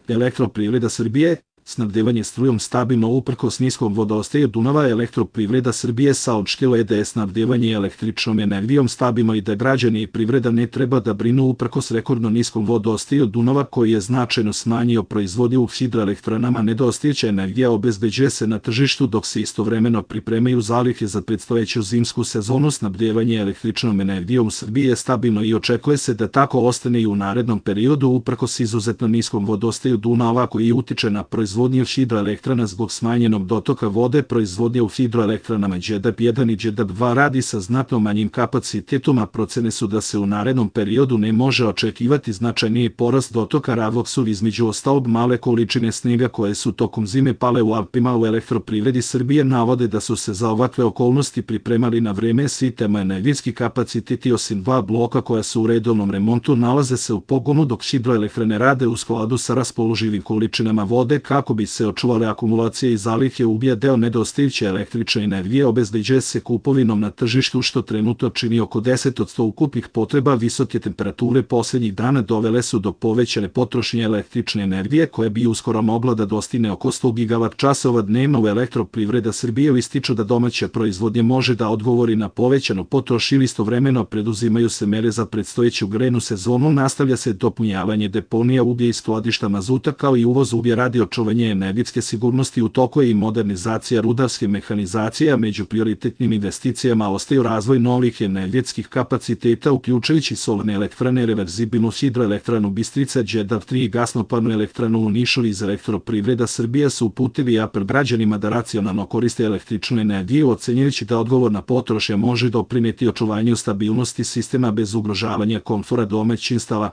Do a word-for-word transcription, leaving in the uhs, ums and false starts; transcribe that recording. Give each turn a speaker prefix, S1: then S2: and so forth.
S1: Elektroprivreda Srbije, snabdevanje strujom stabilno uprkos niskom vodostaju Dunava. Elektroprivreda Srbije saopštila je da je snabdevanje električnom energijom stabilno i da građani i privreda ne treba da brinu uprkos rekordno niskom vodostaju Dunava koji je značajno smanjio proizvodnju u hidroelektranama. Nedostajuća energija obezbeđuje se na tržištu dok se istovremeno pripremaju zalihe za predstojeću zimsku sezonu. Snabdevanje električnom energijom u Srbiji je stabilno i očekuje se da tako ostane i u narednom periodu uprkos izuzetno niskom vodostaju Dunava koji utiče na proizvodnju proizvodnje hidroelektrana zbog smanjenog dotoka vode. Proizvodnje u hidroelektranama Đerdap jedan i Đerdap dva radi sa znatno manjim kapacitetom, a procene su da se u narednom periodu ne može očekivati značajniji porast dotoka ravoksul. Između ostalog, male količine snega koje su tokom zime pale u Alpima. U Elektroprivredi Srbije navode da su se za ovakve okolnosti pripremali na vreme. Sistema energetski kapaciteti osim dva bloka koja su u redovnom remontu nalaze se u pogonu dok hidroelektrane rade u skladu sa raspoloživim količinama vode kako bi se očuvale akumulacije i zalihe ubija. Deo nedostajuće električne energije obezbeđuje se kupovinom na tržištu što trenutno čini oko deset posto ukupnih potreba. Visoke temperature posljednjih dana dovele su do povećane potrošnje električne energije koja bi uskoro mogla da dostigne oko sto gigavat časova dnevno. U Elektroprivreda Srbije ističu da domaća proizvodnja može da odgovori na povećanu potrošnju. Istovremeno preduzimaju se mere za predstojeću grejnu sezonu. Nastavlja se dopunjavanje deponija uglja i skladišta mazuta kao i uvoz uglja radi očuvanja energetske sigurnosti. U toku je i modernizacija rudarske mehanizacije, a među prioritetnim investicijama ostaju razvoj novih energetskih kapaciteta uključujući solarne elektrane, reverzibilnu hidroelektranu Bistrica, Đerdap tri i gasnoparnu elektranu u Nišu. Iz Elektroprivreda Srbije su uputili apel građanima da racionalno koriste električnu energiju, ocenjujući da odgovorna potrošnja može doprineti očuvanju stabilnosti sistema bez ugrožavanja komfora domaćinstava.